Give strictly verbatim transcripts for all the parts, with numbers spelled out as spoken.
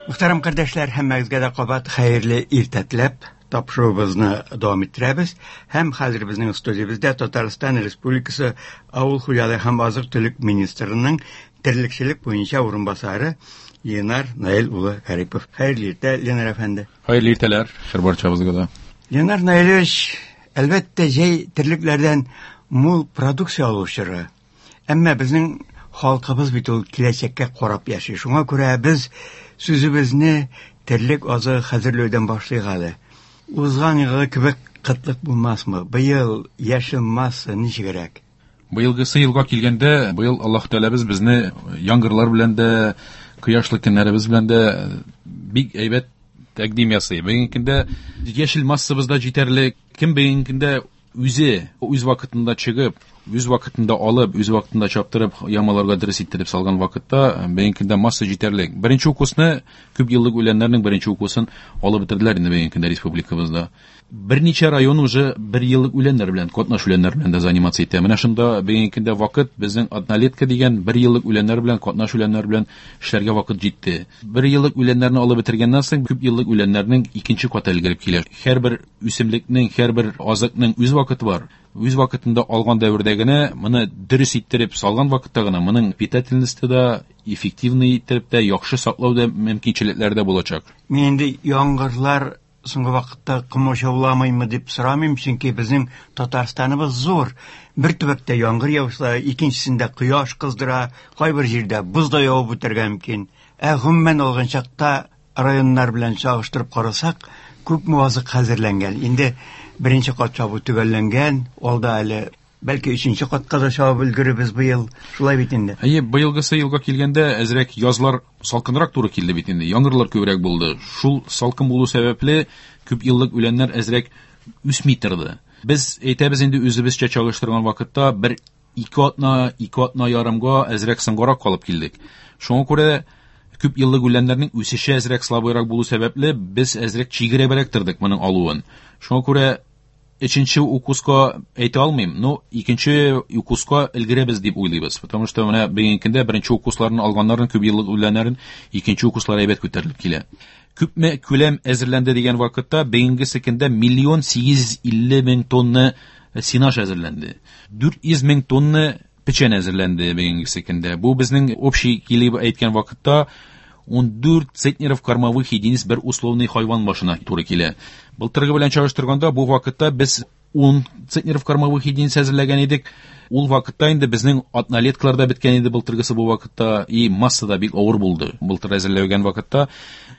Мөхтәрәм кардәшләр, һәммәгезгә дә кабат хәерле иртә теләп, тапшыруыбызны дәвам иттерәбез. Һәм хәзер безнең студиябездә Татарстан Республикасы Авыл хуҗалыгы һәм азык-төлек министрының терлекчелек буенча урынбасары Ленар Наил улы Гарипов. Хәерле иртә, Ленар әфәнде. Хәерле иртәләр, хәер барчабызга да. Ленар Наилевич, әлбәттә, җәй терлекләрдән мул продукция алу чоры. Әмма безнең халкыбыз бит ул киләчәккә карап яши. Шуңа күрә без сүзебезне терлек азыгы хәзерләүдән башлыйк әле. Узган елгы кебек кытлык булмасмы? Быел яшел масса ничегрәк? Быелгысы елга килгәндә, быел Аллаһ Тәгаләбез безне яңгырлар белән дә, кояшлы көннәребез белән дә бик әйбәт тәкъдим ясый. Бүгенге көндә яшел массабыз да җитәрлек. Кем бүгенге көндә үзе үз вакытында чыгып, үз вакытында алып, үз вакытында чаптырып, ямаларга дөрес иттереп салган вакытта бүгенге көндә масса җитәрлек. Беренче укусны, күп еллык үләннәрнең беренче укусын алып бетерделәр инде бүгенге көндә республикабызда. Берничә район уже бер еллык үләннәр белән, катнаш үләннәр белән дә заниматься итә. Менә шунда бүгенге көндә вакыт безнең однолетка дигән бер еллык үләннәр белән, катнаш үләннәр белән эшләргә вакыт җитте. Бер еллык үләннәрне алып бетергәннән соң күп еллык үләннәрнең икенче каты өлгереп килә. Һәрбер үсемлекнең, һәрбер азыкның үз вакыты бар. Үз вакытында алган дәвердә генә, моны дөрес иттереп салган вакытта гына моның питательности да, эффективный иттереп тә, яхшы саклау да мөмкинчелекләре дә булачак. Мин инде яңгырлар соңгы вакытта комачауламыймы дип сорамыйм, чөнки безнең Татарстаныбыз зур. Бер төбәктә яңгыр яуса, икенчесендә кояш кыздыра, кайбер җирдә боз да явып үтәргә мөмкин. Ә гомумән алган чакта районнар белән чагыштырып карасак, күпме азык хәзерләнгән. Инде беренче кат чабу төгәлләнгән, алда әле бәлки өченче катка да чабып өлгерербез быел. Шулай бит инде. Әйе, быелгысы елга килгәндә әзрәк язлар салкынрак туры килде бит инде. Яңгырлар күбрәк булды. Шул салкын булу сәбәпле күп еллык үләннәр әзрәк үсми торды. Без әйтәбез инде үзебезчә чагыштырган вакытта бер ике атна, ике атна ярымга әзрәк соңгарак калып килдек. Шуңа күрә күп еллык үләннәрнең үсеше әзрәк слабыйрак булу сәбәпле без әзрәк чигерәбрәк тордык моның алуын. Шуңа күрә өченче укуска әйтә алмыйм, но икенче укуска өлгерәбез дип уйлыйбыз. Потому что менә бүгенге көндә беренче укусларын алганнарын, күп еллык үләннәрен икенче укуслар әйбәт күтәрелеп килә. Күпме күләм әзерләнде дигән вакытта бүгенге көндә миллион сигез йөз илле мең тонна сенаж әзерләнде. Дүрт йөз мең тонна печән әзерләнде бүгенге көндә. Бу безнең общий килеп әйткән вакытта ун дүрт центнеров кормовых единиц бер условный хайван башына туры килә. Былтыргы белән чагыштырганда бу вакытта без ун центнеров кормовых единиц әзерләгән идек. Ул вакытта инде безнең однолеткалар да беткән иде былтыргысы бу вакытта, и масса да бик авыр булды былтыр әзерләгән вакытта.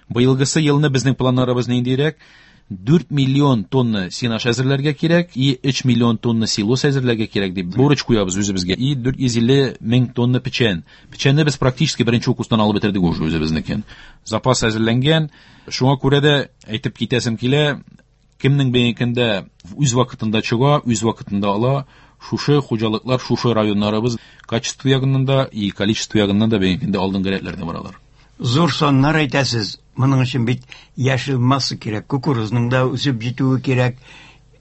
Быелгысы елны безнең планнарыбыз ниндирәк? Дүрт миллион тонна сенаж әзерләргә кирәк и өч миллион тонна силос әзерләргә кирәк дип бурыч куябыз үзебезгә. И дүрт йөз илле мең тонна печән. Печәнне без практически беренче укустан алып бетердек уже үзебезнекен. Запас әзерләнгән. Шуңа күрә дә әйтеп китәсем килә, кемнең бүгенге көндә үз вакытында чыга, үз вакытында ала, шушы хуҗалыклар, шушы районнарыбыз качество ягыннан да и количество ягыннан да бүгенге көндә алдынгы рәтләрдә баралар. Зур саннар әйтәсез. Моның өчен бит яшел масса кирәк, кукурузның да үсеп җитүе кирәк.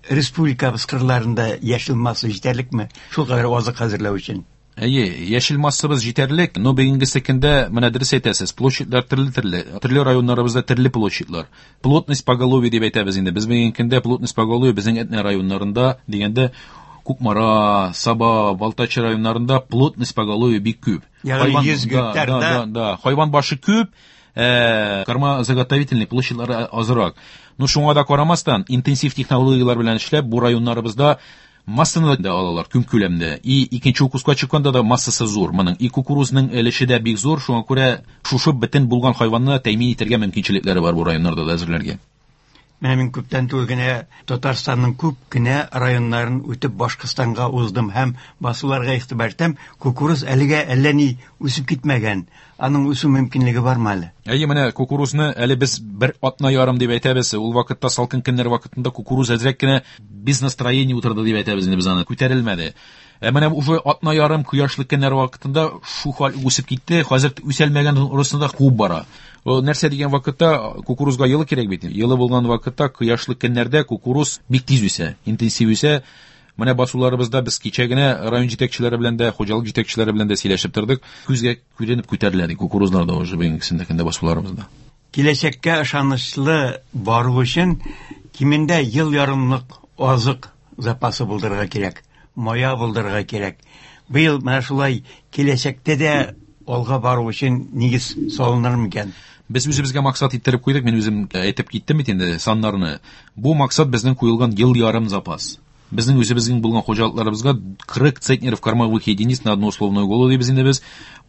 Республикабыз кырларында яшел масса җитәрлекме? Шул кадәр азык хәзерләү өчен. Әйе, яшел массабыз җитәрлек, но бүгенге көндә менә дөрес әйтәсез, площадьлар төрле-төрле, төрле районнарыбызда төрле площадьлар. Плотность поголовья дип әйтәбез инде. Без бүгенге көндә плотность поголовья безнең Әтнә районнарында дигәндә Кукмара, Саба, Балтач районнарында плотность поголовья бик күп. Ягъни Хайван, йөз да, гектарда да, да, да. Хайван башы күп, э, кормозаготовительный площадьлары азрак. Но шуңа да карамастан, интенсив технологияләр белән эшләп, бу районнарыбызда массаны да алалар көн күләмдә. И икенче укуска чыкканда да массасы зур. Моның и кукурузның өлеше дә бик зур, шуңа күрә шушы бөтен булган хайванны тәэмин итәргә мөмкинчелекләре бар бу районнарда да әзерләргә. Менә мин күптән түгел генә Татарстанның күп кенә районнарын үтеп Башкортстанга уздым һәм басуларга игътибар итәм. Кукуруз әлегә әллә ни үсеп китмәгән. Аның үсү мөмкинлеге бармы әле? Әйе, менә кукурузны әле без бер атна ярым дип әйтәбез. Ул вакытта салкын көннәр вакытында кукуруз әзрәк кенә без настроение утырды дип әйтәбез инде без аны. Күтәрелмәде. Ә менә уже атна ярым кояшлы көннәр вакытында шу хәл үсеп китте. Хәзер үсәлмәгән урысында куып бара. О, нәрсә дигән вакытта кукурузга елы кирәк бит. Елы булган вакытта кояшлы көннәрдә кукуруз бик тиз үсә, интенсив үсә. Менә басуларыбызда без кичә генә район җитәкчеләре белән дә, хуҗалык җитәкчеләре белән дә сөйләшеп тордык. Күзгә күренеп күтәрелә ди кукурузлар да уже бүгенгесендә көндә басуларыбызда. Киләчәккә ышанычлы бару өчен кимендә ел ярымлык азык запасы булдырырга кирәк, мая булдырырга кирәк. Быел менә шулай киләчәктә дә алга бару өчен нигез салыныр микән? Без үзебезгә максат иттереп куйдык, мин үзем әйтеп киттем бит инде саннарны. Бу максат безнең куелган ел ярым запас. Безнең үзебезнең булган хуҗалыкларыбызга кырык центнеров кормовых единиц на одну условную голову дибез инде без.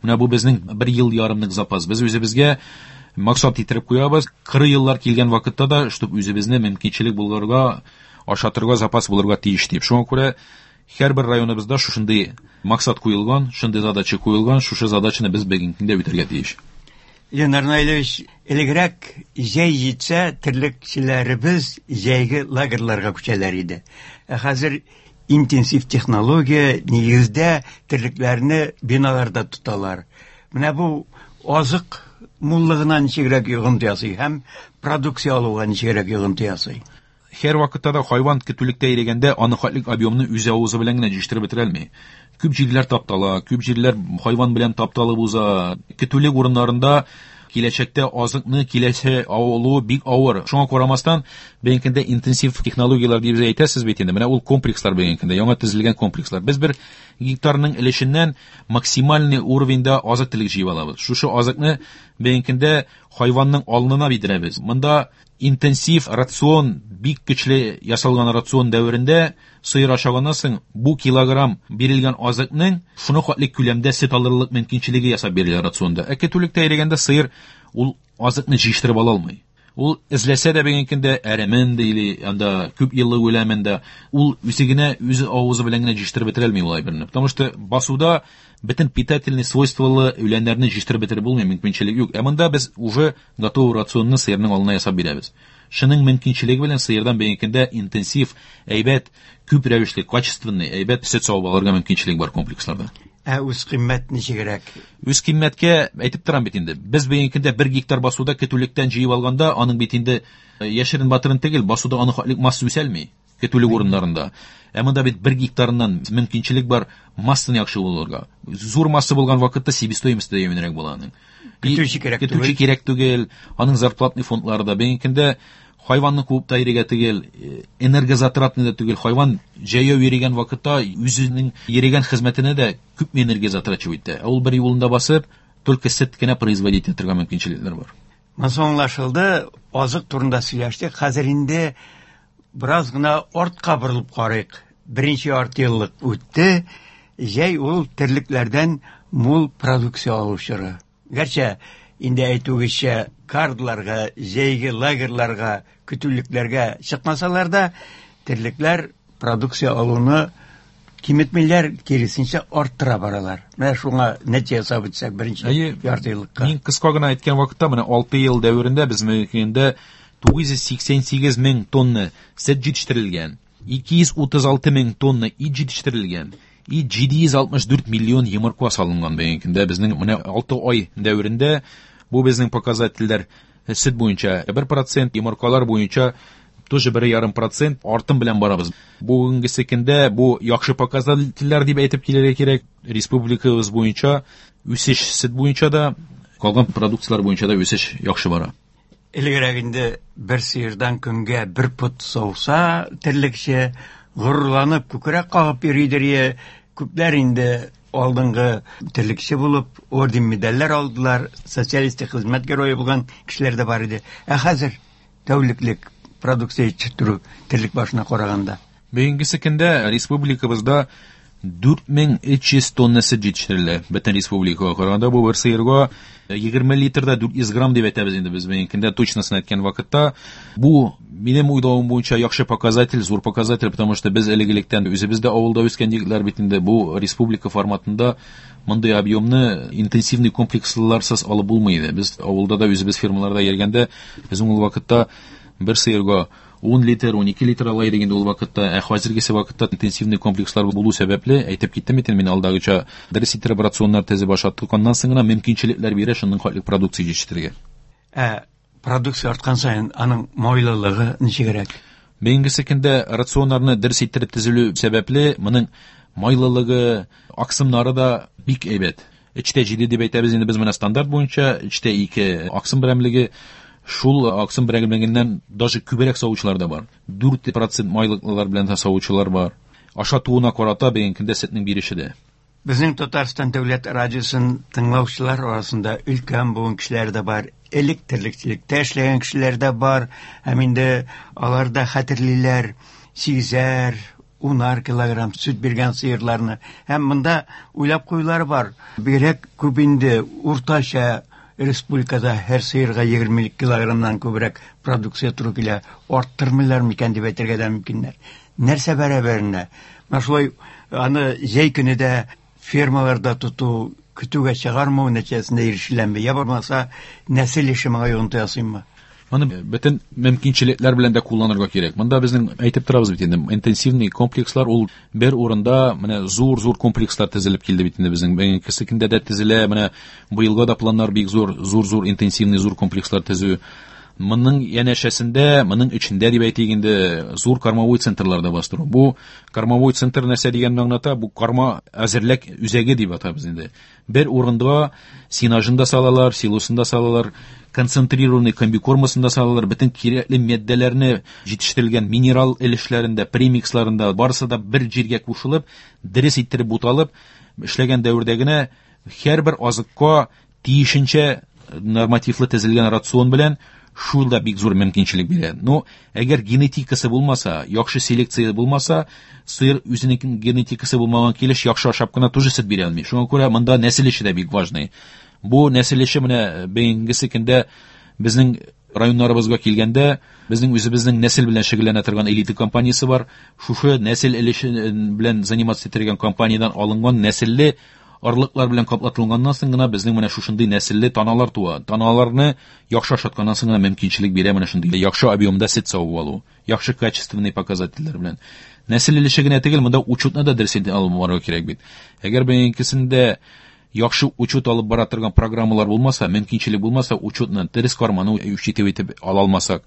Менә бу безнең бер ел ярымлык запас. Без үзебезгә максат иттереп куябыз. Кыры еллар килгән вакытта да, чтоб үзебезне мөмкинчелек булырга, ашатырга запас булырга тиеш дип. Шуңа күрә һәрбер районыбызда шушындый максат куелган, шундый задача куелган, шушы задачаны без бүгенге көндә үтәргә тиеш. Ленар Наилевич, элегрәк җәй җитсә, терлекчеләребез җәйге лагерьларга күчәләр иде. Ә хәзер интенсив технология нигездә терлекләрне биналарда тоталар. Менә бу азык муллыгына ничегрәк йогынты ясый һәм продукция алуга ничегрәк йогынты ясый? Һәр вакытта да хайван көтүлектә йөргәндә аны хатлык объемны үз авызы белән генә җитештереп бетерә алмый. Күп җирләр таптала, күп җирләр хайван белән тапталып уза. Көтүлек урыннарында киләчәктә азыкны киләсе алу бик авыр. Шуңа карамастан, бүгенге көндә интенсив технологияләр дип әйтәсез бит инде. Менә ул комплекслар бүгенге көндә, яңа төзелгән комплекслар. Без бер гектарның өлешеннән максимальный уровеньда азык-төлек җыеп алабыз. Шушы азыкны бүгенге көндә хайванның алнына бирәбез. Монда интенсив рацион, бик көчле ясалган рацион дәверендә сыер ашаганнан соң бу килограмм бирелгән азыкның шуны хәтле күләмдә сөт алырлык мөмкинчелеге ясап бирелә рационда. Ә көтүлектә йөргәндә сыер ул азыкны җитештереп ала алмый. Ул эзләсә дә бүгенге көндә әремен или анда күп еллык үләмен дә, ул үзе генә, үзе авызы белән генә җитештереп бетерә алмый ул әйберне. Потому что басуда бөтен питательный свойстволы үләннәрне җитештереп бетереп булмый, мөмкинчелек юк. Ә монда без уже готовый рационны сыерның алдына ясап бирәбез. Шуның мөмкинчелеге белән сыердан бүгенге көндә интенсив, әйбәт, күп рәвешле, качественный, әйбәт сөт савып алырга мөмкинчелек бар комплексларда. Ә үз кыйммәт ничегрәк? Үз кыйммәткә әйтеп торам бит инде. Без бүгенге көндә бер гектар басуда көтүлектән җыеп алганда, аның бит инде яшерен батырын түгел, басуда аның хатлык масса үсәлми көтүлек урыннарында. Ә монда бит бер гектарыннан мөмкинчелек бар массаны яхшы булырга. Зур масса булган вакытта себестоимость да юньрәк була аның. Көтүче кирәк түгел. Көтүче кирәк түгел, аның зарплатный фондлары да бүгенге көндә хайванны куып та йөрергә түгел, энергозатратный да түгел. Хайван җәяү йөргән вакытта үзенең йөргән хезмәтенә дә күп энергия затрачивать итә. Ул бер юлында басып, только сөт кенә производить итәргә мөмкинчелекләр бар. Монысы аңлашылды, азык турында сөйләштек. Хәзер инде бераз гына артка борылып карыйк. Беренче ярты еллык үтте. Җәй ул терлекләрдән мул продукция алу чоры. Гәрчә инде әйтүгечә кардларга, җәйге лагерьларга, көтүлекләргә чыкмасалар да, терлекләр продукция алуны киметмиләр, киресенчә арттыра баралар. Менә шуңа нәтиҗә ясап үтсәк беренче ярты еллыкка. Мин кыска гына әйткән вакытта, менә алты ел дәверендә без мөмкиндә тугыз йөз сиксән сигез мең тонна сөт җитештерелгән, ике йөз утыз алты мең тонна ит җитештерелгән, и җиде йөз алтмыш дүрт миллион йомырка салынган бүгенге көндә безнең менә алты ай дәверендә. Бу безнең показательләр сөт буенча бер процент, йомыркалар буенча тоже бер ярым процент артым белән барабыз. Бүгенге көндә бу яхшы показательләр дип әйтеп килергә кирәк. Республикабыз буенча үсеш сөт буенча да, калган продукцияләр буенча да үсеш яхшы бара. Элегрәк инде бер сыердан көнгә бер пот сауса, терлекче горурланып күкрәк кагып йөридер. Күпләр инде алдынгы терлекче булып орден медальләр алдылар, социалистик хезмәт герое булган кешеләр дә бар иде. Ә хәзер тәүлеклек продукция җитештерү терлек башына караганда. Бүгенге көндә республикабызда дүрт мең өч йөз тонна сөт җитештерелә. Бөтен республикага караганда бу бер сыерга егерме литрда дүрт йөз грамм дип әйтәбез инде без бүгенге көндә точносын әйткән вакытта. Бу минем уйлавым буенча яхшы показатель, зур показатель, потому что без элек-электән үзебез дә авылда үскән егетләр бит инде. Бу республика форматында мондый объемны интенсивный комплексларсыз алып булмый иде. Без авылда да үзебез фермаларда йөргәндә безнең ул вакытта бер сыерга ун литр, ун ике литр ала идек инде ул вакытта. Ә хәзергесе вакытта интенсивный комплекслар булу сәбәпле, әйтеп киттем бит инде мин алдагыча, дөрес итеп рационнар төзеп ашаттык, аннан соң гына мөмкинчелекләр бирә шуның хатлык продукция җитештерергә. Ә продукция арткан саен аның майлылыгы ничегрәк? Бүгенге көндә рационнарны дөрес итеп төзелү сәбәпле, моның майлылыгы, аксымнары да бик әйбәт. Өчтә җиде дип әйтәбез инде без менә стандарт буенча, өчтә ике аксым берәмлеге. Шул аксым берәмлегеннән даже күбрәк савучылар да бар. Дүрт процент майлыклар белән дә савучылар бар. Ашатуына карата бүгенге көндә сөтнең биреше дә. Безнең Татарстан дәүләт радиосын тыңлаучылар арасында өлкән буын кешеләр дә бар, элек терлекчелектә эшләгән кешеләр дә бар, һәм инде алар да хәтерлиләр сигезәр, унар килограмм сөт биргән сыерларны. Һәм монда уйлап куюлар бар. Бигрәк күп инде уртача республикада һәр сыерга егерме килограммнан күбрәк продукция туры килә, арттырмыйлар микән дип әйтергә дә мөмкиннәр. Нәрсә бәрабәренә? Менә шулай аны җәй көне дә фермаларда тоту, көтүгә чыгармау нәтиҗәсендә ирешеләме? Я булмаса, нәсел эше моңа йогынты ясыймы? Моны бөтен мөмкинчелекләр белән дә кулланырга кирәк. Монда безнең әйтеп торабыз бит инде, интенсивный комплекслар ул бер урында менә зур-зур комплекслар төзелеп килде бит инде безнең. Бүгенге көндә дә төзелә, менә быелга да планнар бик зур, зур-зур интенсивный зур комплекслар төзү. Моның янәшәсендә, моның эчендә дип әйтик инде, зур кормовой центрлар да бастыру. Бу кормовой центр нәрсә дигәнне аңлата? Бу корма әзерлек үзәге дип атабыз инде. Бер урында сенажын да салалар, силосын да салалар, концентрированный комбикормасын да салалар, бөтен кирәкле матдәләрне җитештерелгән минерал өлешләрендә, премиксларында барысы да бер җиргә кушылып, дөрес иттереп буталып эшләгән дәвердә генә һәрбер азыкка тиешенчә нормативлы төзелгән рацион белән шул да бик зур мөмкинчелек бирә. Но әгәр генетикасы булмаса, яхшы селекция булмаса, сыер үзенең генетикасы булмаган килеш яхшы ашап кына тоже сөт бирә алмый. Шуңа күрә монда нәсел эше дә бик важный. Бу нәсел эше менә бүгенге көндә безнең районнарыбызга килгәндә, безнең үзебезнең нәсел белән шөгыльләнә торган элита компаниясе бар. Шушы нәсел эше белән заниматься итергән компаниядән алынган нәселле орлыклар белән каплатылганнан соң гына безнең менә шушындый нәселле таналар туа. Таналарны яхшы ашатканнан соң гына мөмкинчелек бирә менә шундый яхшы объемда сөт савып алу, яхшы качественный показательләр белән. Нәсел эше генә түгел, монда учетны да дөрес итеп алып барырга кирәк бит. Әгәр бүгенгесендә яхшы учет алып бара торган программалар булмаса, мөмкинчелек булмаса, учетны дөрес карманы учитывать итеп ала алмасак,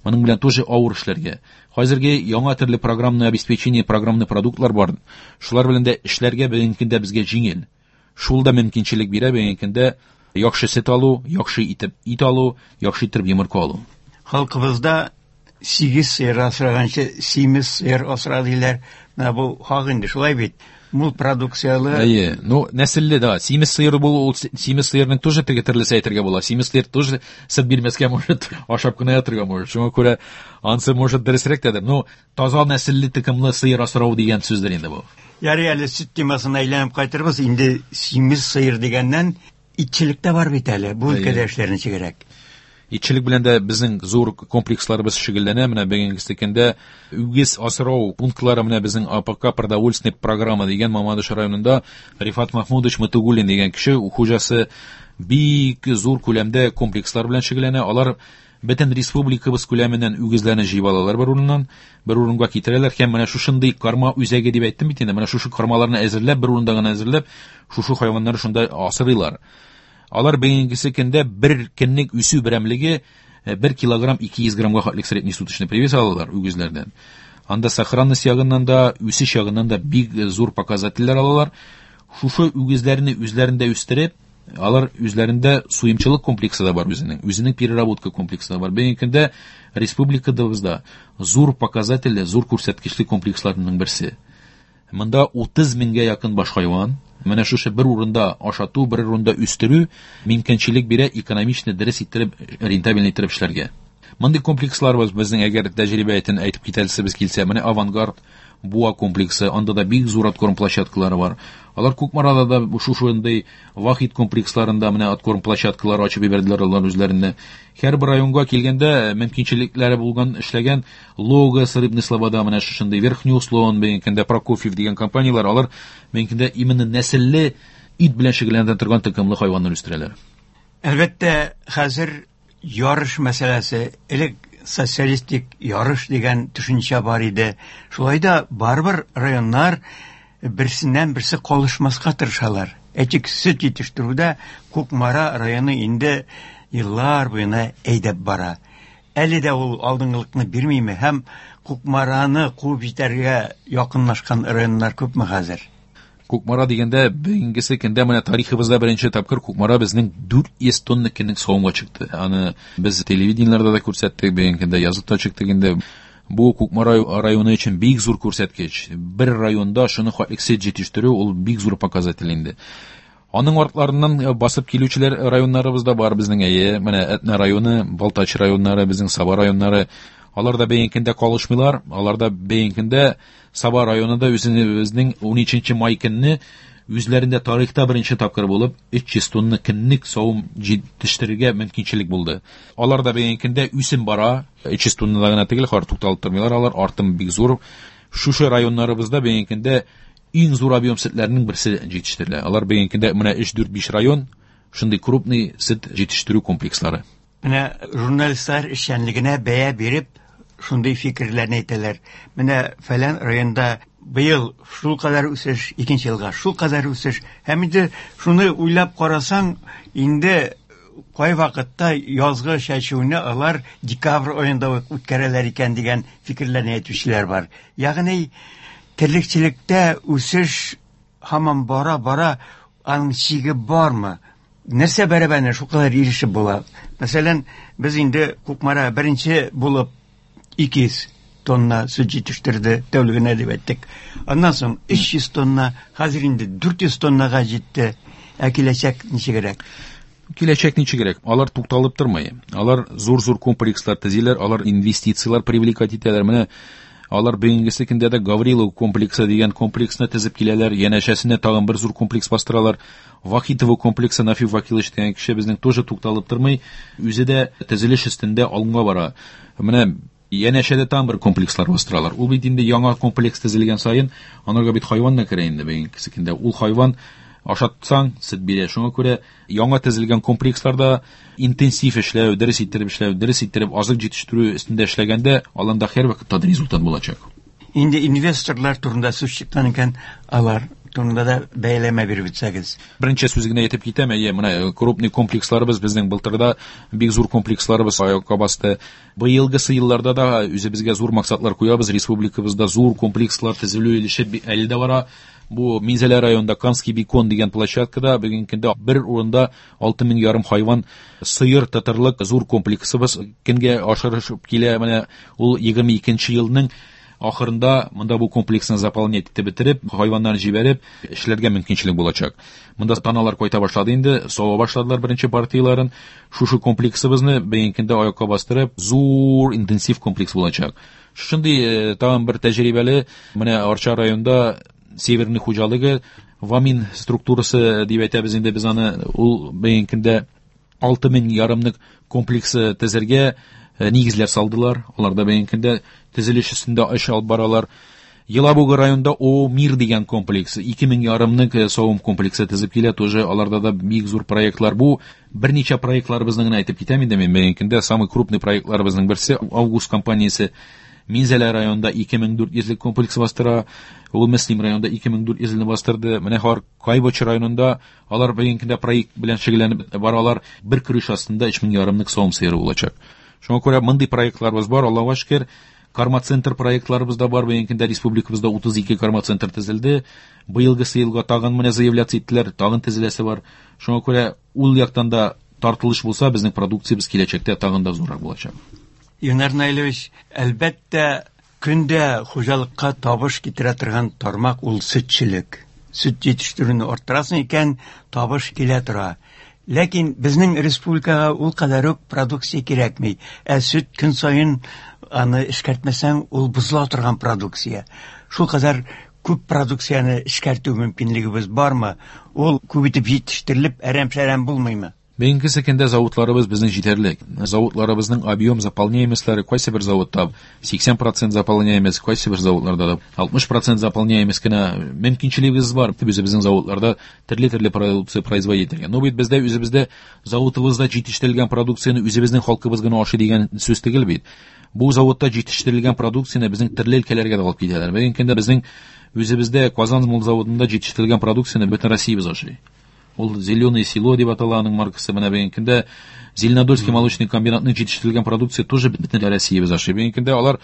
моның белән тоже авыр эшләргә. Хәзерге яңа төрле программное обеспечение, программный продуктлар бар. Шулар белән дә эшләргә бүгенге көндә безгә җиңел. Шул да мөмкинчелек бирә бүгенге көндә яхшы сөт алу, яхшы итеп ит алу, яхшы итеп йомырка алу. Халкыбызда сигез сыер асраганчы симез сыер асра диләр. Менә бу хак инде, шулай бит. Мул продукциялы. Әйе, ну нәселле да, симез сыер бу ул симез сыерның тоже теге төрлесе әйтергә була. Симез сыер тоже сөт бирмәскә может, ашап кына ятырга может. Шуңа күрә ансы может дөресрәк тә. Ну, таза нәселле токымлы сыер асрау дигән сүздер инде бу. Ярый әле сөт темасына әйләнеп кайтырбыз. Инде симез сыер дигәннән итчелек тә бар бит әле. Бу Әйе. өлкәдә эшләр ничегрәк? Итчелек белән дә безнең зур комплексларыбыз шөгыльләнә. Менә бүгенге көндә үгез асрау пунктлары менә безнең А П К продовольственный программа дигән Мамадыш районында Рифат Махмудович Матугуллин дигән кеше хуҗасы бик зур күләмдә комплекслар белән шөгыльләнә. Алар бөтен республикабыз күләменнән үгезләрне җыеп алалар бер урыннан, бер урынга китерәләр һәм менә шушындый карма үзәге дип әйттем бит инде, менә шушы кармаларны әзерләп, бер урында гына әзерләп, шушы хайваннарны шунда асрыйлар. Алар бүгенгесе көндә бер көнлек үсү берәмлеге, э, бер килограмм ике йөз граммга хәтлек средний суточный привес алалар үгезләрдән. Анда сохранность ягыннан да, үсеш ягыннан да бик зур показательләр алалар. Шушы үгезләрне үзләрендә үстереп, алар үзләрендә суемчылык комплексы да бар үзенең, үзенең переработка комплексы да бар. Бүгенге көндә республикабызда зур показательле, зур күрсәткечле комплексларның берсе. Монда утыз меңгә якын баш хайван. Менә шушы бер урында ашату, бер урында үстерү мөмкинчелек бирә экономичны дөрес иттереп, рентабельный иттереп эшләргә. Мондый комплекслар бар безнең, әгәр тәҗрибә итен әйтеп китәсебез килсә, менә Авангард, Буа комплексы, анда да бик зур откорм площадкалары бар. Алар Кукмарада да шушындый Вахит комплексларында менә откорм площадкалары ачып җибәрделәр алар үзләренә. Һәрбер районга килгәндә мөмкинчелекләре булган эшләгән Логос, Рыбный Слобода, менә шушындый Верхний Услон, бүгенге көндә Прокофьев дигән компанияләр, алар бүгенге көндә именно нәселле ит белән шөгыльләнә торган токымлы хайваннар үстерәләр. Әлбәттә, хәзер ярыш мәсьәләсе, элек социалистик ярыш дигән төшенчә бар иде. Шулай да барыбер районнар берсеннән берсе калышмаска тырышалар. Әйтик, сөт җитештерүдә Кукмара районы инде еллар буена әйдәп бара. Әле дә ул алдынгылыкны бирмиме һәм Кукмараны куып җитәргә якынлашкан районнар күпме хәзер? Кукмара дигәндә, бүгенгесе көндә менә тарихыбызда беренче тапкыр Кукмара безнең дүрт йөз тонна көнлек савымга чыкты. Аны без телевидениеләрдә дә күрсәттек, бүгенге көндә язып та чыктык инде. Бу Кукмара районы өчен бик зур күрсәткеч. Бер районда шуны хәтлек сөт җитештерү ул бик зур показатель инде. Аның артларыннан басып килүчеләр районнарыбыз да бар безнең, әйе. Менә Әтнә районы, Балтач районнары, безнең Саба районнары. Алар да бүгенге көндә калышмыйлар. Алар да бүгенге көндә Саба районында үзенең ун өченче май көнне үзләрендә тарихта беренче тапкыр булып өч йөз тонна көнлек савым җитештерергә мөмкинчелек булды. Алар да бүгенге көндә үсем бара. Өч йөз тоннада гына түгел, хәзер тукталып тормыйлар алар, артым бик зур. Шушы районнарыбызда бүгенге көндә иң зур объем сөтләрнең берсе җитештерелә. Алар бүгенге көндә менә өч, дүрт, биш район шундый крупный сөт җитештерү комплекслары. Менә журналистлар эшчәнлегенә бәя биреп шундый фикерләрне әйтәләр. Менә фәлән районда быел шул кадәр үсеш, икенче елга шул кадәр үсеш. Һәм инде шуны уйлап карасаң, инде кай вакытта язгы чәчүне алар декабрь аенда ук үткәрәләр икән дигән фикерләрне әйтүчеләр бар. Ягъни терлекчелектә үсеш һаман бара-бара, аның чиге бармы? Нәрсә бәрабәренә шул кадәр ирешеп була? Мәсәлән, без инде Кукмара беренче булып ике йөз тонна сөт җитештерде, тәүлегенә дип әйттек. Аннан соң өч йөз тонна, хәзер инде дүрт йөз тоннага җитте. Ә киләчәк ничегрәк? Киләчәк ничегрәк? Алар тукталып тормый. Алар зур-зур комплекслар төзиләр, алар инвестицияләр привлекать итәләр. Менә алар бүгенгесе көндә дә Гаврилов комплексы дигән комплексны төзеп киләләр, янәшәсенә тагын бер зур комплекс бастыралар. Вахитово комплексы, Нафик Вакилович дигән кеше безнең тоже тукталып тормый, үзе дә төзелеш өстендә алга бара. Менә янәшәдә тагын бер комплекслар бастыралар. Ул бит инде яңа комплекс төзелгән саен, анарга бит хайван да керә инде бүгенгесе көндә. Ул хайван ашатсаң, сөт бирә. Шуңа күрә яңа төзелгән комплексларда интенсив эшләү, дөрес иттереп эшләү, дөрес иттереп азык җитештерү өстендә эшләгәндә, аланда һәрвакытта да результат булачак. Инде инвесторлар турында сүз чыккан икән, алар турында да бәяләмә биреп үтсәгез. Беренче сүз генә әйтеп китәм, әйе, менә крупный комплексларыбыз безнең былтырда бик зур комплексларыбыз аякка басты. Быелгысы елларда да үзебезгә зур максатлар куябыз. Республикабызда зур комплекслар төзелү эше әле дә бара. Бу Минзәлә районында Канский бекон дигән площадкада бүгенге көндә бер урында алты мең ярым хайван сыер тотарлык зур комплексыбыз көнгә ашырышып килә. Менә ул егерме икенче елның ахырында монда бу комплексны заполнять итеп бетереп, хайваннарны җибәреп эшләргә мөмкинчелек булачак. Монда таналар кайта башлады инде, сава башладылар беренче партияларын. Шушы комплексыбызны бүгенге көндә аякка бастырып, зур интенсив комплекс булачак. Шундый, э, тагын бер тәҗрибәле менә Арча районында Северный хуҗалыгы Вамин структурасы дип әйтәбез инде без аны, ул бүгенге көндә алты мең ярымлык комплексы төзергә, э, нигезләр салдылар. Алар да бүгенге көндә төзелеш өстендә эш алып баралар. Елабуга районында О Мир дигән комплекс, ике мең ярымлык, э, савым комплексы төзеп килә. Тоже аларда да бик зур проектлар. Бу берничә проектларыбызны гына әйтеп китәм инде мин. Бүгенге көндә самый крупный проектларыбызның берсе Август компаниясе Минзәлә районында ике мең дүрт йөзлек комплекс бастыра. Ул Мөслим районында ике мең дүрт йөзлекне бастырды. Менә хәзер Кайбыч районында алар бүгенге көндә проект белән шөгыльләнеп баралар. Бер көреш астында өч мең ярымлык савым сыеры булачак. Шуңа күрә мондый проектларыбыз бар, Аллаһуга шөкер. Карма-центр проектларыбыз да бар. Бүгенге көндә республикабызда утыз ике карма-центр төзелде. Быелгысы елга тагын менә заявляться иттеләр, тагын төзеләсе бар. Шуңа күрә ул яктан да тартылыш булса, безнең продукциябез киләчәктә тагын да зуррак булачак. Илнар Наилевич, әлбәттә, көндә хуҗалыкка табыш китерә торган тармак ул сөтчелек. Сөт җитештерүне арттырасың икән, табыш килә тора. Ләкин безнең республикага ул кадәр үк продукция кирәкми. Ә сөт көн саен аны эшкәртмәсәң, ул бозыла торган продукция. Шул кадәр күп продукцияне эшкәртү мөмкинлегебез бармы? Ул күп итеп җитештерелеп, әрәм-шәрәм булмыймы? Бүгенге көндә заводларыбыз безнең җитәрлек. Заводларыбызның объем заполняемостьлары кайсы бер заводта сиксән процент заполняемость, кайсы бер заводларда да алтмыш процент заполняемость кенә мөмкинчелегебез бар. Үзебезнең заводларда төрле-төрле продукция производить итәргә. Но бит бездә үзебездә заводыбызда җитештерелгән продукцияне үзебезнең халкыбыз гына ашый дигән сүз түгел бит. Бу заводта җитештерелгән продукцияне безнең төрле өлкәләргә дә алып китәләр. Бүгенге көндә безнең үзебездә Казан мул заводында җитештерелгән продукцияне бөтен Россиябез ашый. Ул «Зеленое село» дип атала аның маркасы. Менә бүгенге көндә Зеленодольский молочный комбинатның җитештерелгән продукция тоже бөтен Россиябез ашый. Бүгенге көндә алар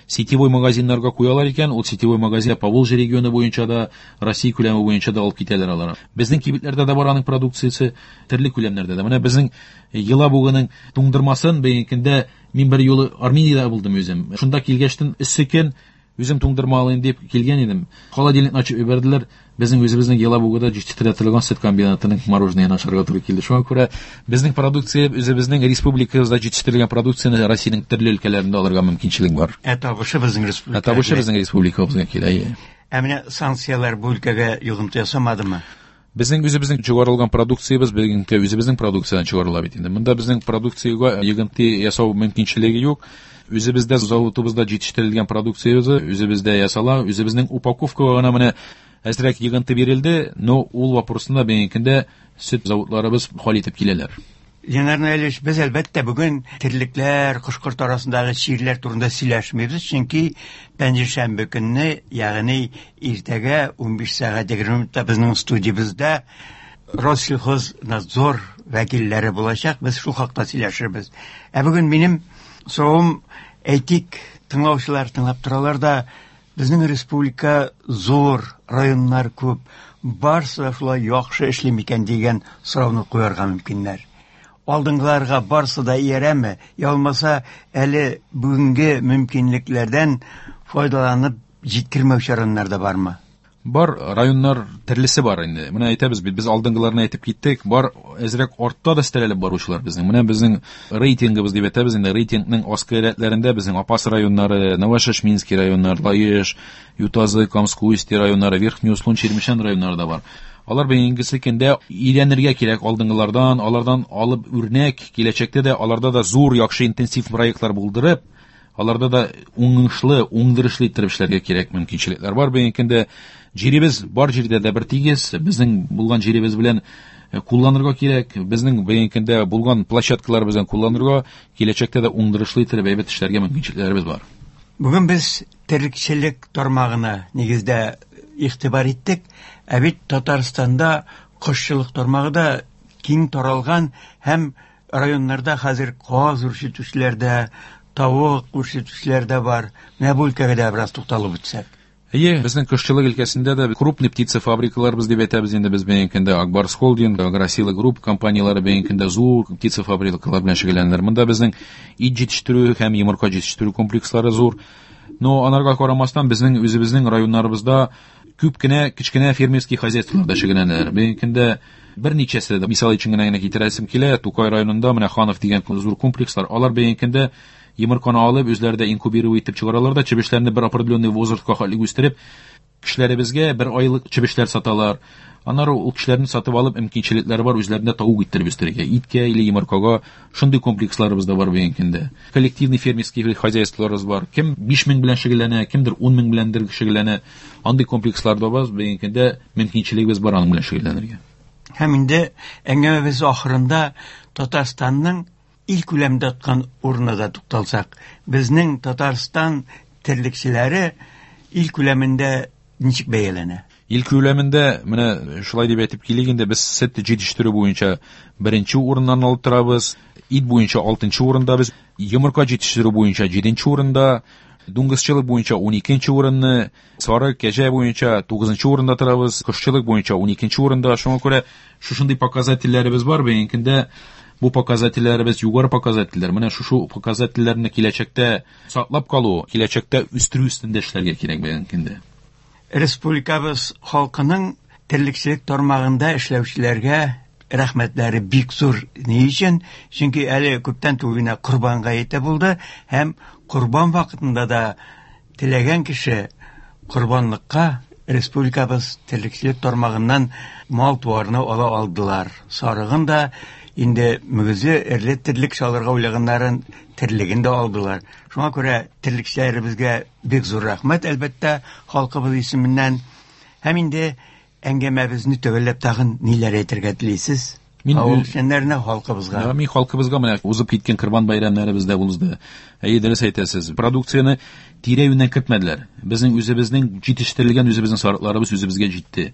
сетевой магазиннарга куялар икән, ул сетевой магазин Поволжье регионы буенча да, Россия күләме буенча да алып китәләр алар. Безнең кибетләрдә дә бар аның продукциясе, төрле күләмнәрдә дә. Менә безнең Елабуганың туңдырмасын бүгенге көндә мин бер юлы Армениядә булдым үзем. Шунда килгәчтен эссе көн, үзем туңдырма алыйм дип килгән идем. Холодильникны ачып җибәрделәр. Безнең үзебезнең Елабугада җитештерә торган сөт комбинатының мороженыен ашарга туры килде. Шуңа күрә безнең продукция, үзебезнең республикабызда җитештерелгән продукцияне Россиянең төрле өлкәләрендә алырга мөмкинчелек бар. Ә табышы безнең республика. Ә табышы безнең республикабызга килә. Ә менә санкцияләр бу өлкәгә йогынты ясамадымы? Безнең үзебезнең чыгарылган продукциябез бүгенге үзебезнең продукциядән чыгарыла бит инде. Монда безнең продукциягә йогынты ясау мөмкинчелеге юк. Үзебездә заводыбызда җитештерелгән продукциябез үзебездә ясала, үзебезнең упаковкага гына менә әзрәк йогынты бирелде, но ул вопросны да бүгенге көндә сөт заводларыбыз хәл итеп киләләр. Ленар Наилевич, без әлбәттә бүген терлекләр, кош-корт арасындагы чирләр турында сөйләшмибез, чөнки пәнҗешәмбе көнне, ягъни иртәгә унбиш сәгать егерме минутта безнең студиябездә Россельхознадзор вәкилләре булачак, без шул хакта сөйләшербез. Ә бүген минем соравым, әйтик, тыңлаучылар тыңлап торалар да, безнең республика зур, районнар күп, барсы да шулай яхшы эшли микән дигән сорауны куярга мөмкиннәр. Алдынгыларга барсы да иярәме, я булмаса әле бүгенге мөмкинлекләрдән файдаланып җиткермәүче районнар да бармы? Бар, районнар төрлесе бар инде. Менә әйтәбез бит, без алдынгыларны әйтеп киттек, бар әзрәк артта да өстәлеп баручылар безнең. Менә безнең рейтингыбыз дип әйтәбез инде, рейтингның аскы рәтләрендә безнең Апас районнары, Новошешминский районнары, Лаеш, Ютазы, Камск-Устье районнары, Верхний Услон, Чирмешән районнары да бар. Алар бүгенгесе көндә өйрәнергә кирәк алдынгылардан, алардан алып үрнәк, киләчәктә дә аларда да зур, яхшы интенсив проектлар булдырып, аларда да уңышлы, уңдырышлы иттереп эшләргә кирәк мөмкинчелекләр бар. Бүгенге көндә җиребез бар җирдә дә бер тигез, безнең булган җиребез белән кулланырга кирәк, безнең бүгенге көндә булган площадкалар белән кулланырга, киләчәктә дә уңдырышлы иттереп әйбәт эшләргә мөмкинчелекләребез бар. Бүген без терлекчелек тармагына нигездә игътибар иттек. Ә бит Татарстанда кошчылык тармагы да киң таралган һәм районнарда хәзер каз үрчетүчеләр дә, тавык үрчетүчеләр дә бар. Менә бу өлкәгә дә бераз тукталып үтсәк. Әйе, безнең кошчылык өлкәсендә дә крупный птицефабрикаларыбыз дип әйтәбез инде без бүгенге көндә Акбарс Холдинг, Агросила Групп компанияләре бүгенге көндә зур птицефабрикалар белән шөгыльләнәләр. Монда безнең ит җитештерү һәм йомырка җитештерү комплекслары зур. Но анарга карамастан безнең үзебезнең районнарыбызда күп кенә кечкенә фермерский хозяйстволарда шөгыльләнәләр. Бүгенге көндә берничәсе дә, мисал өчен генә генә китерәсем килә, Тукай районында менә Ханов дигән зур комплекслар, алар бүгенге көндә йомырканы алып, үзләре дә инкубировать итеп чыгаралар да, чебешләрне бер определенный возрастка хәтле үстереп, кешеләребезгә бер айлык чебешләр саталар. Аннары ул кешеләрне сатып алып, мөмкинчелекләре бар, үзләрендә тавык иттереп үстерергә, иткә или йомыркага. Шундый комплексларыбыз да бар бүгенге көндә. Коллективный фермерский хозяйстволарыбыз бар. Кем биш мең белән шөгыльләнә, кемдер ун мең беләндер шөгыльләнә. Андый комплекслар да бар, бүгенге көндә мөмкинчелегебез бар аның белән шөгыльләнергә. Һәм инде әңгәмәбез ахырында Татарстанның ил күләмендә тоткан урынына да тукталсак, безнең Татарстан терлекчеләре ил күләмендә ничек бәяләнә? Ил күләмендә менә шулай дип әйтеп килик инде, без сөт җитештерү буенча беренче урыннан алып торабыз, ит буенча алтынчы урында без, йомырка җитештерү буенча җиденче урында, дуңгызчылык буенча ун икенче урынны, сары кәҗә буенча тугызынчы урында торабыз, кошчылык буенча ун икенче урында. Шуңа күрә шушындый показательләребез бар. Бүгенге көндә бу показательләребез югары показательләр. Менә шушы показательләрне киләчәктә саклап калу, киләчәктә үстерү өстендә эшләргә кирәк бүгенге көндә. Республикабыз халкының терлекчелек тармагында эшләүчеләргә рәхмәтләре бик зур. Ни өчен? Чөнки әле күптән түгел генә Корбан гаете булды һәм корбан вакытында да теләгән кеше корбанлыкка республикабыз терлекчелек тармагыннан мал-туарны ала алдылар. Сарыгын да, инде мөгезле эрле терлек чалырга уйлаганнарын терлеген дә алдылар. Шуңа күрә терлекчеләребезгә бик зур рәхмәт, әлбәттә, халкыбыз исеменнән. Һәм инде әңгәмәбезне төгәлләп тагын ниләр әйтергә телисез? Мин Авыл эшчәннәренә, халкыбызга. Да, мин халкыбызга менә узып киткән Корбан бәйрәмнәребез дә узды. Әйе, дөрес әйтәсез. Продукцияне тирә-юньнән кертмәделәр. Безнең үзебезнең җитештерелгән үзебезнең сарыкларыбыз үзебезгә җитте.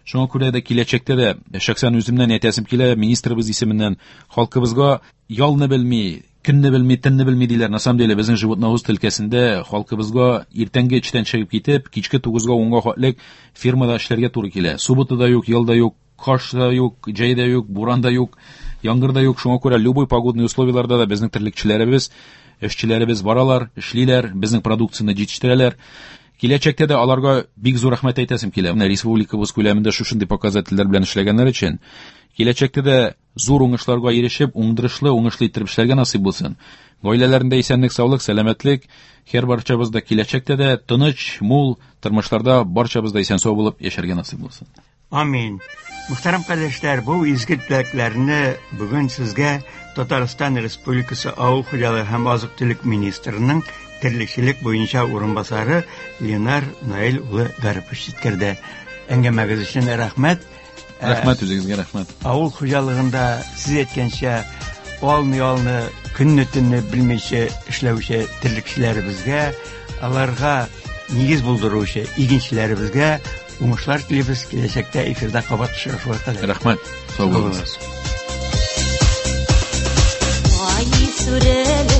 Шуңа күрә дә киләчәктә дә шәхсән үземнән әйтәсем килә, министрыбыз исеменнән халкыбызга ялны белми, көнне белми, төнне белми диләр. На самом деле безнең животноводство өлкәсендә халкыбызга иртәнге өчтән чыгып китеп, кичке тугызга, унга хәтлек фермада эшләргә туры килә. Суббота да юк, ял да юк, кыш та юк, җәй дә юк, буран да юк, яңгыр да юк. Шуңа күрә любой погодный условияларда да безнең терлекчеләребез, эшчеләребез баралар, эшлиләр, безнең продукцияне җитештерәләр. Киләчәктә дә аларга бик зур рәхмәт әйтәсем килә. Менә республикабыз күләмендә шушындый показательләр белән эшләгәннәр өчен киләчәктә дә зур уңышларга ирешеп, уңдырышлы, уңышлы итеп эшләргә насыйп булсын. Гаиләләрендә исәнлек, саулык, сәламәтлек, һәр барчабыз да киләчәктә дә тыныч, мул тормышларда барчабыз да исән-сау булып яшәргә насыйп булсын. Амин. Мөхтәрәм кардәшләр, бу изге теләкләрне бүген сезгә Татарстан Республикасы Авыл хуҗалыгы һәм азык-төлек министрының терлекчелек буенча урынбасары Ленар Наил улы Гарипов җиткерде. Әңгәмәгез өчен рәхмәт. Рәхмәт үзегезгә, рәхмәт. Авыл хуҗалыгында сез әйткәнчә, алны-ялны, көнне-төнне белмичә эшләүче терлекчеләребезгә, аларга нигез булдыручы игенчеләребезгә уңышлар телибез. Киләчәктә эфирда кабат очрашуга кадәр. Рәхмәт. Сау булыгыз. Ай сүрелеп